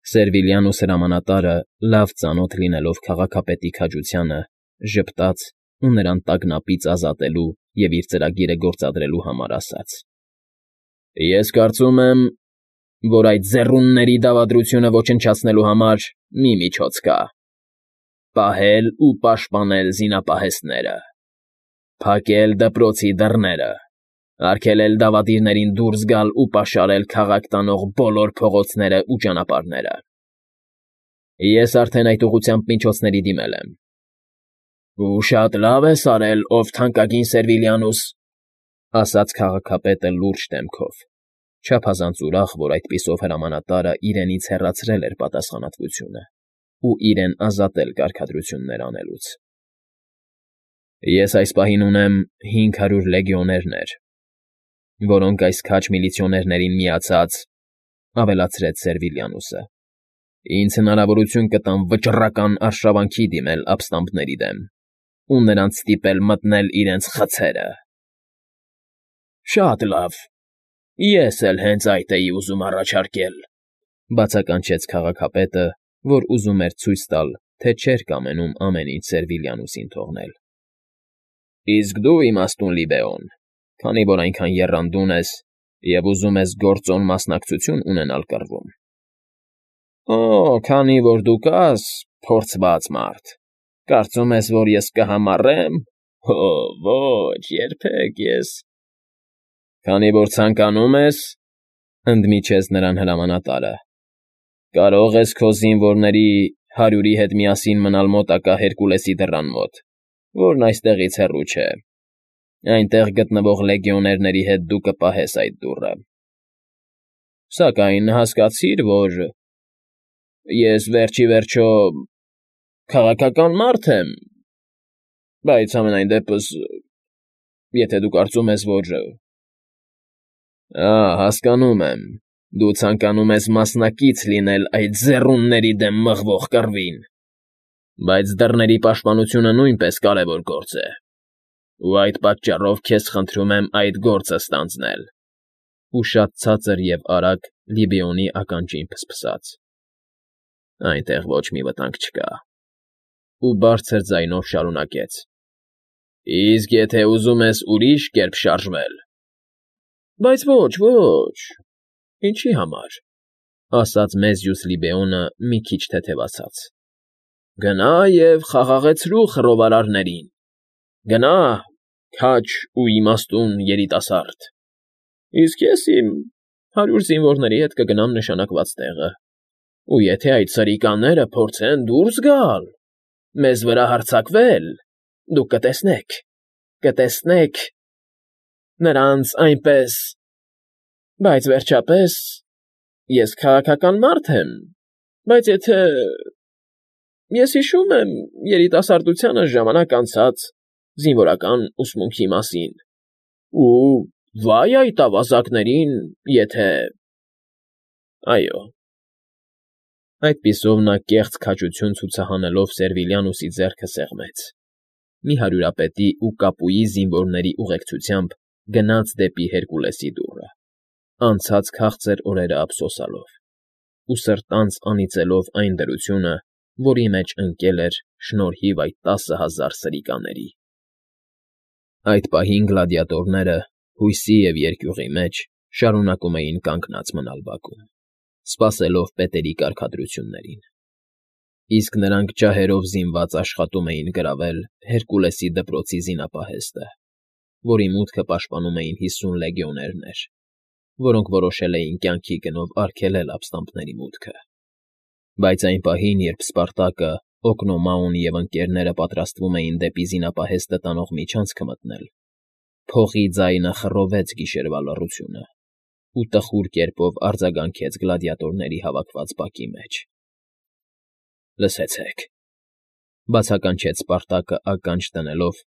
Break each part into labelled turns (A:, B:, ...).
A: Սերվիլյանուս հրամանատարը, լավ ծանոթ լինելով քաղաքապետի քաջությանը, ժպտաց ու նրան տագնապից ազատելու և իր ծրագիրը գործադրելու համար ասաց. «Ես կարծում եմ, որ այդ ձեռունների դավադրությունը ոչնչացնելու համար մի միջոց կա. պահել ու պաշտպանել զինապահեստները, փակել դպրոցի դռները, արգելել դավադիրներին դուրս գալ ու պաշարել քաղաք տանող բոլոր փողոցներն ու ճանապարհները։ Ես արդեն այդ ուղղությամբ միջոցների դիմել եմ»։ «Ու շատ լավ ես արել, ով թանկագին Սերվիլյանուս», ասաց քաղաքապետը լուրջ դեմքով, չափազանց ուրախ, որ այդպիսով հրամանատարը իրենից հեռացրել էր պատասխանատվությունը ու իրեն ազատել կարգադրություններ անելուց։ «Ես այս պահին ունեմ 500 լեգիոներներ, որոնք այս քաջ միլիցիոներներին միացած, ավելացրեց Սերվիլյանուսը, ինձ հնարավորություն կտան վճռական արշավանքի դիմել ապստամբների դեմ ու նրանց ստիպել մտնել իրենց խցերը»։ «Շատ լավ, ես էլ հենց այդ էի ուզում առաջարկել», բացականչեց քաղաքապետը, որ ուզում էր ցույց տալ, թե չէր կամենում ամեն ինչ Սերվիլյանուսին թողնել։ «Իսկ դու, իմաստուն Լիբեոն, քանի որ այնքան եռանդուն ես և ուզում ես գործոն մասնակցություն ունենալ կռվում»։ «Օ, քանի որ դու կաս, փորձված մարդ, կարծում ես, որ ես կհամառեմ։ Օ, ոչ, երբեք ես…»։ «Քանի որ ցանկանում ես,֊ ընդմիջեց նրան հրամանատարը,֊ կարող ես քո զինվորների 100-ի հետ միասին մնալ մոտակա Հերկուլեսի դռան մոտ, որն այստեղից հեռու չէ։ Այնտեղ գտնվող լեգիոներների հետ դու կպահես այդ դուռը։ Սակայն հասկացիր, որ ես վերջիվերջո քաղաքական մարդ եմ, բայց համենայն դեպս, եթե դու կարծում ես, որ…» Հասկանում եմ, դու ցանկանում ես մասնակից լինել այդ ձեռունների դեմ մղվող կռվին, բայց դռների պաշտպանությունը նույնպես կարևոր գործ է, ու այդ պատճառով քեզ խնդրում եմ այդ գործը ստանձնել,֊ ու շատ ցածր և արագ Լիբեոնի ականջին ֆսֆսաց։ «Այնտեղ ոչ մի վտանգ չկա», ու բարձր ձայնով շարունակեց. «Իսկ եթե ուզում ես ուրիշ կերպ շարժվել…»։ «Բայց ոչ, ինչի համար,֊ ասաց մեզյուս Լիբեոնը մի քիչ թեթևացած,֊ գնա և խաղաղեցրու խռովարարներին, գնա, քաջ ու իմաստուն երիտասարդ, իսկ ես իմ 100 զինվորների հետ կգնամ նշանակված տեղը, ու եթե այդ սրիկաները փորձեն դուրս գալ, մեզ վրա հարձակվել, դուք կտեսնեք նրանց այնպես… Բայց վերջապես, ես քաղաքական մարդ եմ, բայց եթե… Ես հիշում եմ երիտասարդությանս ժամանակ անցած զինվորական ուսմունքի մասին, ու վա՜յ այդ ավազակներին, եթե… Այո…»։ Այդպիսով նա կեղծ քաջություն ցուցահանելով Սերվիլյանուսի ձեռքը սեղմեց, մի հարյուրապետի ու կապուի զինվորների ուղեկցությամբ գնաց դեպի Հերկուլեսի դուռը, անցած քաղցր օրերը ափսոսալով ու սրտանց անիծելով այն դրությունը, որի մեջ ընկել էր շնորհիվ այդ 10,000 սրիկաների։ Այդ պահին գլադիատորները, հույսի և երկյուղի մեջ, շարունակում էին կանգնած մնալ բակում, սպասելով պետերի կարգադրություններին, իսկ նրանք ջահերով զինված աշխատում էին գրավել Հերկուլեսի դպրոցի զինապահեստը, որի մուտքը պաշտպանում էին 50 լեգիոներներ, որոնք որոշել էին կյանքի գնով արգելել ապստամբների մուտքը։ Բայց այն պահին, երբ Սպարտակը, Օկնոմաուն և ընկերները պատրաստվում էին դեպի զինապահեստը տանող միջանցքը մտնել, փողի ձայնը խռովեց գիշերվա լռությունը ու տխուր կերպով արձագանքեց գլադիատորների հավաքված բակի մեջ։ «Լսեցեք,֊ բացականչեց Սպարտակը ականջ դնելով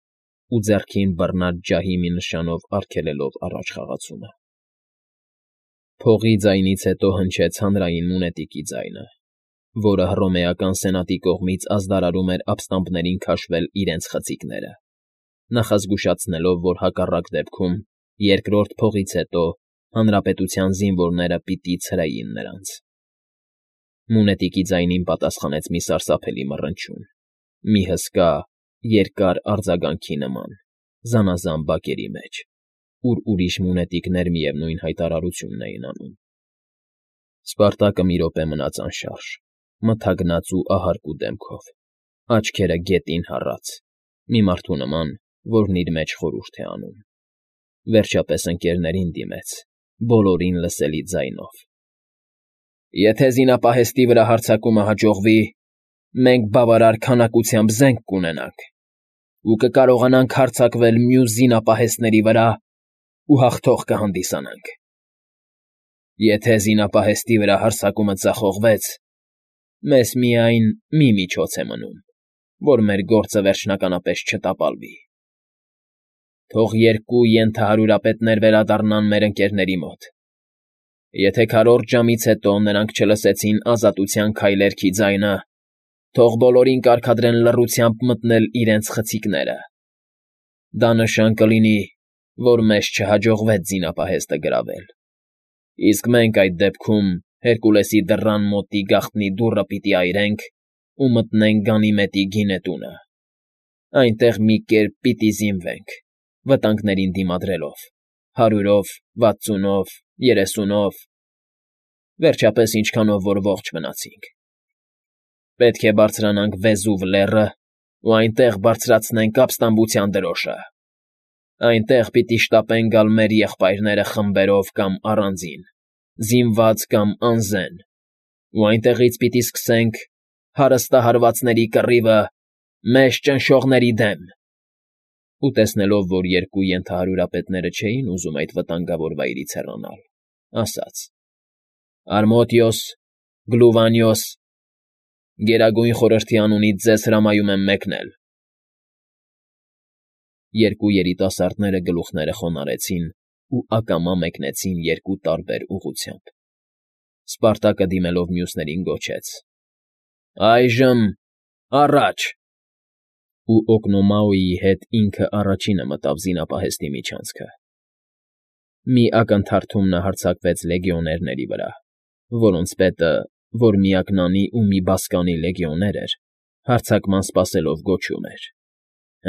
A: ու ձեռքին բռնած ջահի մի նշանով արգելելով առաջ խաղացումը։ Փողի ձայնից հետո հնչեց հանրային մունետիկի ձայնը, որը Հռոմեական սենատի կողմից ազդարարում էր ապստամբներին քաշվել իրենց խցիկները, նախազգուշացնելով, որ հակառակ դեպքում, երկրորդ փողից հետո, հանրապետության զինվորները պիտի ցրեին նրանց։ Մունետիկի ձայնին պատասխանեց մի սարսափելի մռնչյուն, մի հսկա, երկար արձագանքի նման, զանազան բակերի մեջ, ուր ուրիշ մունետիկներ միևնույն հայտարարությունն էին անում։ Սպարտակը մի րոպե մնաց անշարժ, մթագնած ու ահարկու դեմքով, աչքերը գետին հառած, մի մարդու նման, որն իր մեջ խորհուրդ է անում։ Վերջապես ընկներներին դիմեց, բոլորին լսելի ձայնով. «Եթե զինապահեստի վրա հարձակումը հաջողվի, մենք բավարար քանակությամբ զենք կունենանք ու կկարողանանք հարձակվել մյուս զինապահեստների վրա ու հաղթող կհանդիսանանք։ Եթե զինապահեստի վրա հարձակումը ձախողվեց, մեզ միայն մի միջոց է մնում, որ մեր գործը վերջնականապես չտապալվի։ Թող երկու ենթահարյուրապետներ վերադառնան մեր ընկերների մոտ։ Եթե քառորդ ժամից հետո նրանք չլսեցին ազատության քայլերքի ձայնը, թող բոլորին կարգադրեն լռությամբ մտնել իրենց խցիկները։ Դա նշան կլինի, որ մեզ չհաջողվեց զինապահեստը գրավել, իսկ մենք այդ դեպքում Հերկուլեսի դռան մոտի գաղտնի դուռը պիտի այրենք ու մտնենք Գանիմեդի գինետունը։ Այնտեղ մի կերպ պիտի զինվենք, վտանգներին դիմադրելով, 100-ով, 60-ով, 30-ով, վերջապես ինչքանով որ ողջ մնացինք։ Պետք է բարձրանանք Վեզուվ լեռը ու այնտեղ բարձրացնենք ապստամբության դրոշը։ Այնտեղ պիտի շտապեն գալ մեր եղբայրները խմբերով կամ առանձին, զինված կամ անզեն, ու այնտեղից պիտի սկսենք հարստահարվածների կռիվը մեզ ճնշողների դեմ»։ Ու տեսնելով, որ երկու ենթահարյուրապետները չէին ուզում այդ վտանգավոր վայրից հեռանալ, ասաց. «Արմոդիոս, Գլուվանիոս, Գերագույն Խորհրդի անունից ձեզ հրամայում եմ մեկնել»։ Երկու երիտասարդները գլուխները խոնարհեցին ու ակամա մեկնեցին երկու տարբեր ուղղությամբ։ Սպարտակը դիմելով մյուսներին գոչեց. «Այժմ առաջ»։ Ու Օկնոմաոյի հետ ինքը առաջինը մտավ զինապահեստի միջանցքը։ Մի ակնթարթում նա հարձակվեց լեգիոներների վրա, որոնց պետը, որ միակնանի ու մի բասկանի լեգիոներ էր, հարձակման սպասելով գոչում էր.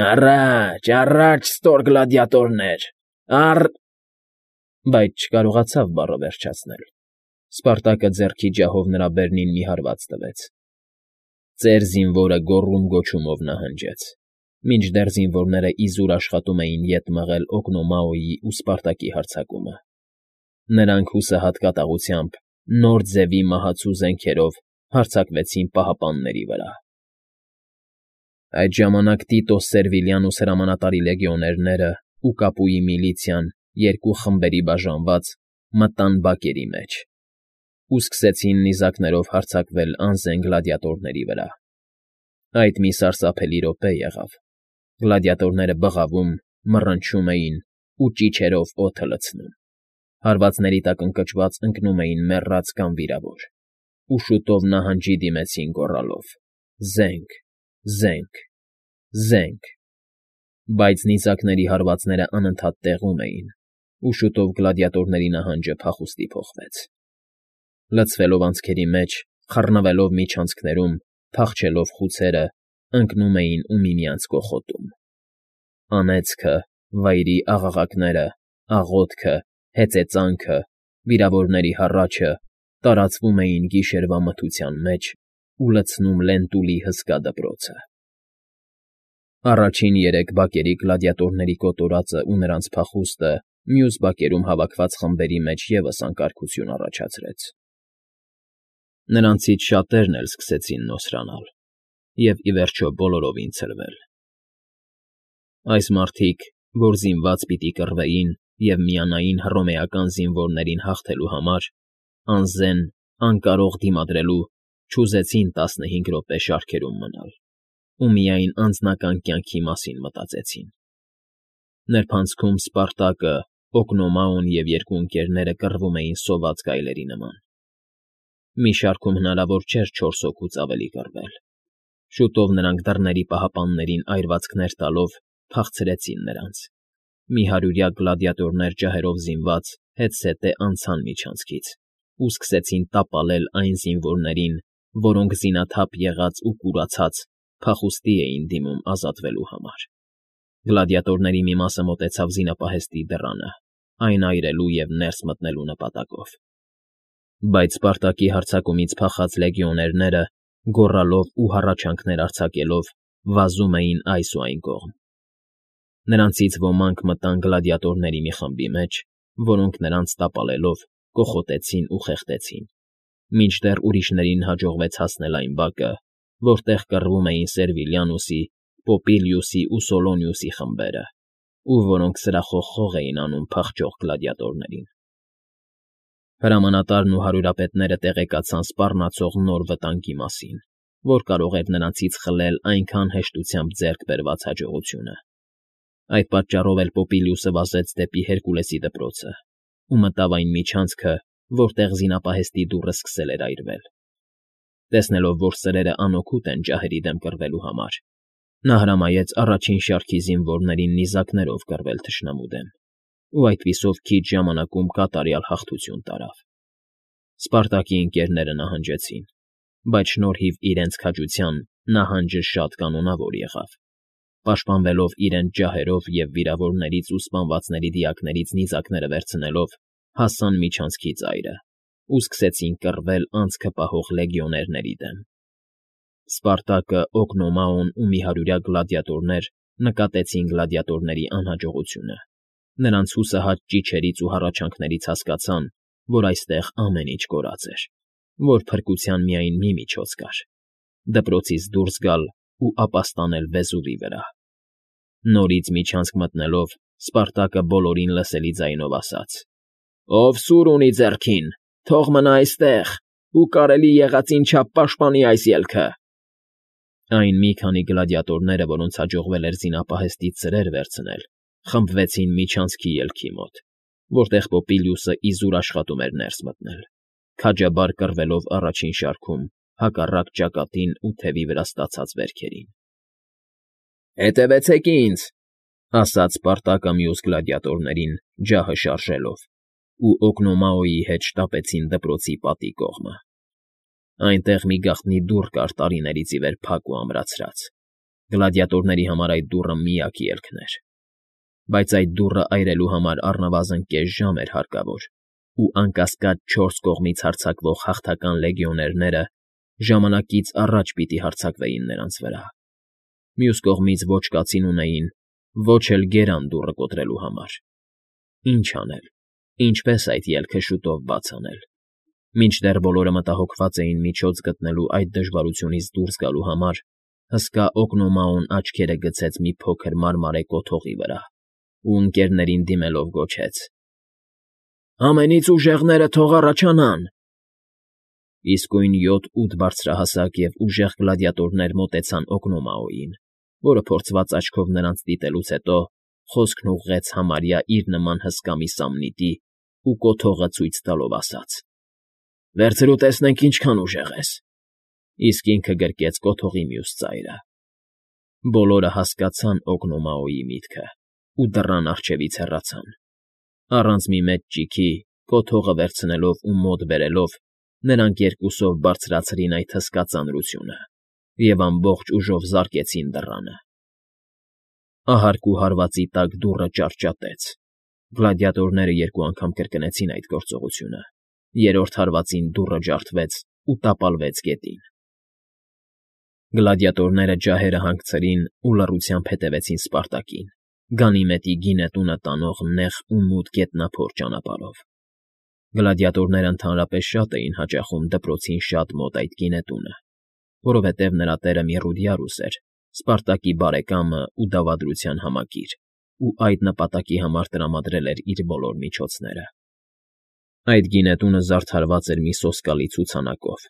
A: «Առաջ, առաջ, ստոր գլադիատորներ, բայց չկարողացավ բառը վերջացնել։ Սպարտակը ձեռքի ջահով նրա բերնին մի հարված տվեց։ Ծեր զինվորը գոռում-գոչումով նահանջեց, մինչդեռ զինվորները իզուր աշխատում էին ետ մղել Օկնոմաոյի ու Սպարտակի հարձակումը։ Նրանք հուսահատ կատաղությամբ նոր ձևի մահացու զենքերով հարձակվեցին պահապանների վրա։ Այդ ժամանակ Տիտոս Սերվիլյանուս հրամանատարի լեգիոներները ու Կապուի միլիցիան երկու խմբերի բաժանված մտան բակերի մեջ ու սկսեցին նիզակներով հարձակվել անզեն գլադիատորների վրա։ Այդ մի սարսափելի րոպե եղավ։ Գլադիատորները բղավում, մռնչում էին ու ճիչերով օդը լցնում։ Հարվածների տակ ընկճված ընկնում էին մեռած կամ վիրավոր, ու շուտով նահանջի դիմեցին գոռալով. «Զենք, զենք, զենք»։ Բայց նիզակների հարվածները անընդհատ տեղում էին, ու շուտով գլադիատորների նահանջը փախուստի փոխվեց։ Լցվելով անցքերի մեջ, խռնվելով միջանցքներում, փախչելով խուցերը, ընկնում էին ու միմյանց կոխոտում։ Անեծքը, վայրի աղաղակները, աղոթքը, հեծեծանքը, վիրավորների հառաչը տարածվում էին գիշերվա մթության մեջ ու լցնում Լենտուլի հսկա դպրոցը։ Առաջին երեք բակերի գլադիատորների կոտորածը ու նրանց փախուստը մյուս բակերում հավաքված խմբերի մեջ ևս անկարգություն առաջացրեց։ Նրանցից շատերն էլ սկսեցին նոսրանալ և, ի վերջո, բոլորովին ցրվել։ Այս մարդիկ, որ զինված պիտի կռվեին և միանային հռոմեական զինվորներին հաղթելու համար, անզեն, անկարող դիմադրելու, չուզեցին 15 րոպե շարքերում մնալ ու միայն անձնական կյանքի մասին մտածեցին։ Նրբանցքում Սպարտակը, Օկնոմաոն և երկու ընկերները կռվում էին սոված գայլերի նման։ Մի շարքում հնարավոր չէր 4 հոգուց ավելի կռվել։ Շուտով նրանք դռների պահապաններին այրվածքներ տալով փախցրեցին նրանց։ Մի 100-յա գլադիատորներ ջահերով զինված հետզհետե անցան միջանցքից ու սկսեցին տապալել այն զինվորներին, որոնք զինաթափ եղած ու կուրացած փախուստի էին դիմում ազատվելու համար։ Գլադիատորների մի մասը մոտեցավ զինապահեստի դռանը, այն այրելու և ներս մտնելու նպատակով։ Բայց Սպարտակի հարձակումից փախած լեգիոներները, գոռալով ու հառաչանքներ արձակելով, վազում էին այս ու այն կողմ։ Նրանցից ոմանք մտան գլադիատորների մի խմբի մեջ, որոնք նրանց տապալելով կոխոտեցին ու խեղդեցին, մինչդեռ ուրիշներին հաջողվեց հասնել այն բակը, որտեղ կռվում էին Սերվիլյանուսի, Պոպիլիուսի ու Սոլոնիուսի խմբերը, ու որոնք սրախող խող էին անում փախչող գլադիատորներին։ Հրամանատարն ու հարյուրապետները տեղեկացան սպառնացող նոր վտանգի մասին, որ կարող էր նրանցից խլել այնքան հեշտությամբ ձեռք բերված հաջողությունը։ Այդ պատճառով էլ Պոպիլիուսը վազեց դեպի Հերկուլեսի դպրոցը ու մտավ այն միջանցքը, որտեղ զինապահեստի դուռը սկսել էր այրվել։ Տեսնելով, որ սրերը անօգուտ են ջահերի դեմ կռվելու համար, նա հրամայեց առաջին շարքի զինվորներին նիզակներով կռվել թշնամու դեմ, ու այդպիսով քիչ ժամանակում կատարյալ հաղթություն տարավ։ Սպարտակի ընկերները նահանջեցին, բայց շնորհիվ իրենց քաջության նահանջը շատ կանոնավոր եղավ։ Պաշտպանվելով իրենց ջահերով և վիրավորներից ու սպանվածների դիակներից նիզակները վերցնելով, հասան միջանցքի ծայրը ու սկսեցին կռվել անցքը պահող լեգիոներների դեմ։ Սպարտակը, Օգնոմաոն ու մի հարյուրյա գլադիատորներ նկատեցին գլադիատորների անհաջողությունը։ Նրանց հուսահատ ճիչերից ու հառաչանքներից հասկացան, որ այստեղ ամեն ինչ կորած էր, որ փրկության միայն մի միջոց կար՝ դպրոցից դուրս գալ ու ապաստանել Վեզուվի վրա։ Նորից միջանցք մտնելով, Սպարտակը բոլորին լսելի ձայնով ասաց. «Ով սուր ունի ձեռքին, թող մնա այստեղ ու կարելի եղածին չափ պաշտպանի այս ելքը»։ Այն մի քանի գլադիատորները, որոնց հաջողվել էր զինապահեստից սրեր վերցնել, խմբվեցին միջանցքի ելքի մոտ, որտեղ Պոպիլիուսը իզուր աշխատում էր ներս մտնել, քաջաբար կռվելով առաջին շարքում հակառակ ճակատին ու թևի վրա ստացած վերքերին։ «Հետևեցեք ինձ», ասաց Սպարտակը մյուս գլադիատորներին, ջահը շարժելով, ու Օգնոմաոյի հետ շտապեցին դպրոցի պատի կողմը։ Այնտեղ մի գաղտնի դուռ կար տարիներից ի վեր փակ ու ամրացրած։ Գլադիատորների համար այդ դուռը միակ ելքն էր։ Բայց այդ դուռը այրելու համար առնվազն կես ժամ էր հարկավոր, ու անկասկած 4 կողմից հարձակվող հաղթական լեգիոներները ժամանակից առաջ պիտի հարձակվեին նրանց վրա։ Մյուս կողմից ոչ կացին ունեին, ոչ էլ գերան դուռը կոտրելու համար։ Ինչ անել, ինչպես այդ ելքը շուտով բաց անել։ Մինչդեռ բոլորը մտահոգված էին միջոց գտնելու այդ դժվարությունից դուրս գալու համար, հսկա Օգնոմաոն աչքերը գցեց մի փոքր մարմարե կոթողի վրա ու ընկերներին դիմելով գոչեց. «Ամենից ուժեղները թող առաջանան»։ Իսկույն 7-8 բարձրահասակ և ուժեղ գլադիատորներ մոտեցան Օգնոմաոյին, որը փորձված աչքով նրանց դիտելուց հետո խոսքն ուղղեց համարյա իր նման հսկա մի սամնիտի ու կոթողը ցույց տալով ասաց. «Վերցրու տեսնենք ինչքան ուժեղ ես»։ Իսկ ինքը գրկեց կոթողի մյուս ծայրը։ Բոլորը հասկացան Օգնոմաոյի միտքը ու դռան առջևից հեռացան։ Առանց մի մեծ ճիգի, կոթողը վերցնելով ու մոտ բերելով, նրանք երկուսով բարձրացրին այդ հսկա ծանրությունը և ամբողջ ուժով զարկեցին դռանը։ Ահարկու հարվածի տակ դուռը ճարճատեց։ Գլադիատորները 2 անգամ կրկնեցին այդ գործողությունը։ Երրորդ հարվածին դուռը ջարդվեց ու տապալվեց գետին։ Գլադիատորները ջահերը հանգցրին ու լռությամբ հետևեցին Սպարտակին, Գանիմեդի գինետունը տանող նեղ ու մութ գետնափոր ճանապարհով։ Գլադիատորները ընդհանրապես շատ էին հաճախում դպրոցին շատ մոտ այդ գինետունը, որովհետև նրա տերը Միրուդիարուս էր, Սպարտակի բարեկամը ու դավադրության համակիր, ու այդ նպատակի համար տրամադրել էր իր բոլոր միջոցները։ Այդ գինետունը զարդարված էր մի սոսկալի ցուցանակով։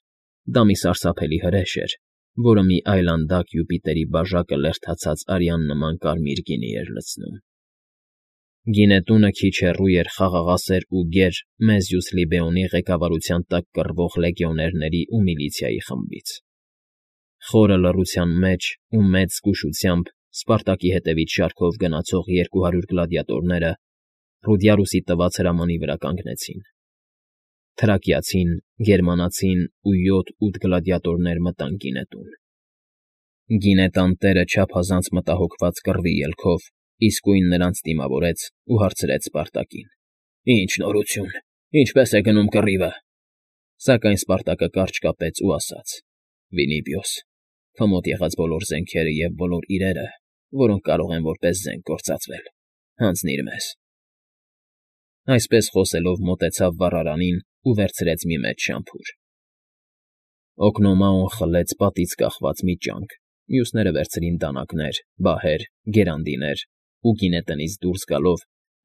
A: Դա մի սարսափելի հրեշ էր, որը մի այլանդակ Յուպիտերի բաժակը լերդացած արյան նման կարմիր գինի էր լցնում։ Գինետունը քիչ հեռու էր խաղաղասեր ու գեր Մեզյուս Լիբեոնի ղեկավարության տակ կռվող լեգիոներների ու միլիցիայի խմբից։ Խորը լռության մեջ ու մեծ զգուշությամբ Սպարտակի հետևից շարքով գնացող 200 գլադիատորները Ռուդիարուսի տված հրամանի վրա կանգնեցին։ Թրակիացին, գերմանացին ու 7-8 գլադիատորներ մտան գինետուն։ Գինետան տերը չափազանց մտահոգված կռվի ելքով իսկույն նրանց դիմավորեց ու հարցրեց Սպարտակին. «Ինչ նորություն, ինչպե՞ս է գնում կռիվը»։ Սակայն Սպարտակը կարճ կապեց ու ասաց. «Վինիպիոս, քո մոտ եղած բոլոր զենքերը և բոլոր իրերը, որոնք կարող են որպես զենք գործածվել, հանձնիր մեզ»։ Այսպես խոսելով մոտեցավ վառարանին ու վերցրեց մի մեծ շամփուր։ Օկնոմաոն խլեց պատից կախված մի ճանկ, մյուսները վերցրին դանակներ, բահեր, գերանդիներ ու գինետնից դուրս գալով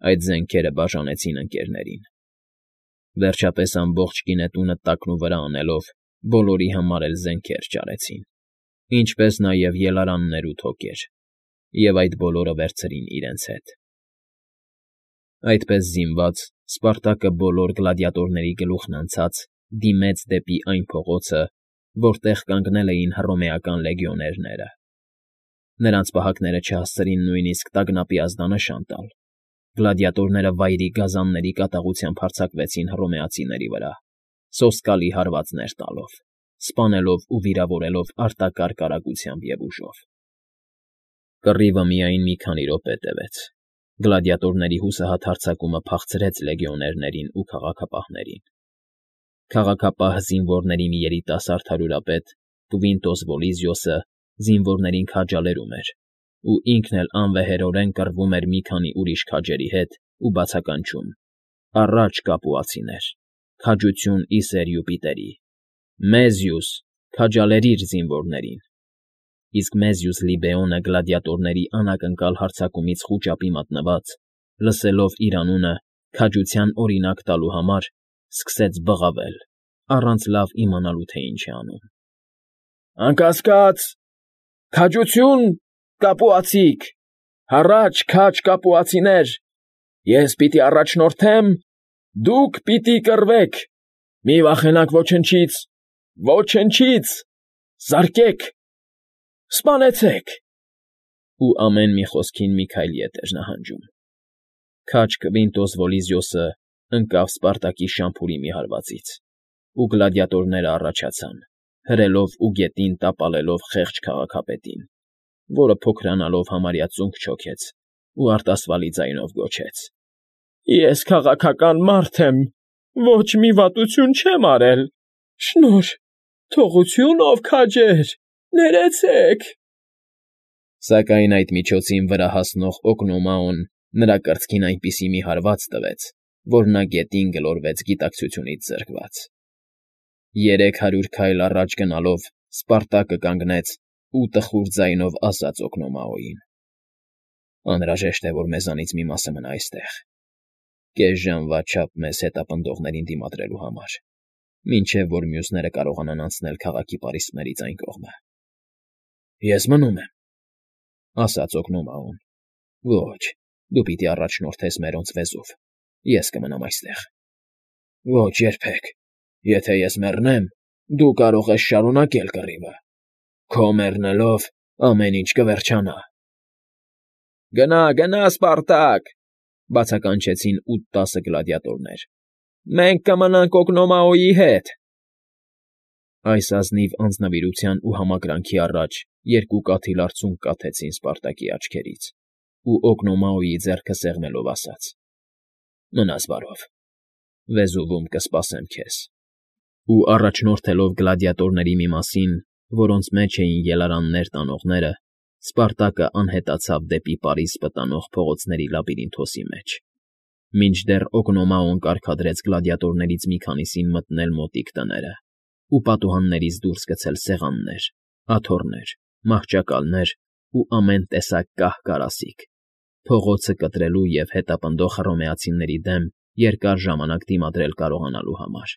A: այդ զենքերը բաժանեցին ընկերներին։ Վերջապես ամբողջ գինետունը տակնուվրա անելով բոլորի համար էլ զենքեր ճարեցին, ինչպես նաև ելարաններ ու թոկեր, և այդ բոլորը վերցրին իրենց հետ։ Այդպես զինված Սպարտակը բոլոր գլադիատորների գլուխն անցած դիմեց դեպի այն փողոցը, որտեղ կանգնել էին հռոմեական լեգիոներները։ Նրանց պահակները չհասցրին նույնիսկ տագնապի ազդանշան տալ։ Գլադիատորները վայրի գազանների կատաղությամբ հարձակվեցին հռոմեացիների վրա, սոսկալի հարվածներ տալով, սպանելով ու վիրավորելով արտակարգ արագությամբ և ուժով։ Կռիվը միայն մի քանի րոպե տևեց։ Գլադիատորների հուսահատ հարձակումը փախցրեց լեգիոներներին ու քաղաքապահներին։ Քաղաքապահ զինվորների մի երիտասարդ հարյուրապետ Կվինտոս Վոլիզիոսը զինվորներին քաջալերում էր ու ինքն էլ անվեհերորեն կռվում էր մի քանի ուրիշ քաջերի հետ ու բացականչում. «Առաջ, կապուացիներ, քաջություն Իսեր Յուպիտերի, Մեզիուս, քաջալերիր զինվորներին»։ Իսկ Մեզիուս Լիբեոնը գլադիատորների անակնկալ հարձակումից խուճապի մատնված, լսելով իր անունը քաջության օրինակ տալու համար, սկսեց բղավել, առանց լավ իմանալու, թե ինչ է անում։ «Անկասկած, քաջություն, կապուացիք, հառաչ քաջ կապուացիներ, ես պիտի առաջնորդեմ, դուք պիտի կռվեք, մի վախենաք ոչնչից, ոչնչից, զարկեք, սպանեցեք»։ Ու ամեն մի խոսքին մի քայլ ետ էր նահանջում։ Քաջ Կվինտոս Վոլիզիոսը ընկավ Սպարտակի շամփուրի մի հարվածից, ու գլադիատորները առաջացան, հրելով ու գետին տապալելով խեղճ քաղաքապետին, որը փոքրանալով համարյա ծունկ չոքեց ու արտասվալի ձայնով գոչեց. «Ես քաղաքական մարդ եմ, ոչ մի վատություն չեմ արել, շնորհ, թողություն, ով քաջեր, ներեցեք»։ Սակայն այդ միջոցին վրա հասնող Օկնոմաոն նրա կրծքին այնպիսի մի հարված տվեց, որ նա գետին գլորվեց գիտակցությունից զրկված։ 300 քայլ առաջ գնալով Սպարտակը կանգնեց ու տխուր ձայնով ասաց Օկնոմաոյին. «Անհրաժեշտ է, որ մեզանից մի մասը մնա այստեղ, կես ժամվա չափ մեզ հետապնդողներին դիմադրելու համար, մինչև որ մյուսները կարողանան անցնել քաղաքի պարիսպներից այն կողմը»։ «Ես մնում եմ», ասաց Օկնոմաոն։ «Ոչ, դու պիտի առաջնորդես մերոնց վեզով, ես կմնամ այստեղ»։ «Ոչ երբեք, եթե ես մեռնեմ, դու կարող ես շարունակել կռիվը, քո մեռնելով ամեն ինչ կվերջանա»։ «Գնա, գնա, Սպարտակ», բացականչեցին 8-10 գլադիատորներ։ «Մենք կմնանք Օկնոմաոյի հետ»։ Այս ազնիվ անձնվիրության ու համակրանքի առաջ երկու կաթիլ արցունք կաթեցին Սպարտակի աչքերից, ու Օկնոմաոյի ձեռքը սեղմելով ասաց. «Մնաս բարով, վեզուվում կսպասեմ քեզ»։ Ու առաջնորդելով գլադիատորների մի մասին, որոնց մեջ էին ելարաններ տանողները, Սպարտակը անհետացավ դեպի Պարիսպը տանող փողոցների լաբիրինթոսի մեջ, մինչդեռ Օկնոմաոն կարգադրեց գլադիատորներից մի քանիսին մտնել մոտիկ տները ու պատուհաններից դուրս գցել սեղաններ, աթոռներ, մահճակալներ ու ամեն տեսակ կահ֊կարասիք, փողոցը կտրելու և հետապնդող հռոմեացիների դեմ երկար ժամանակ դիմադրել կարողանալու համար։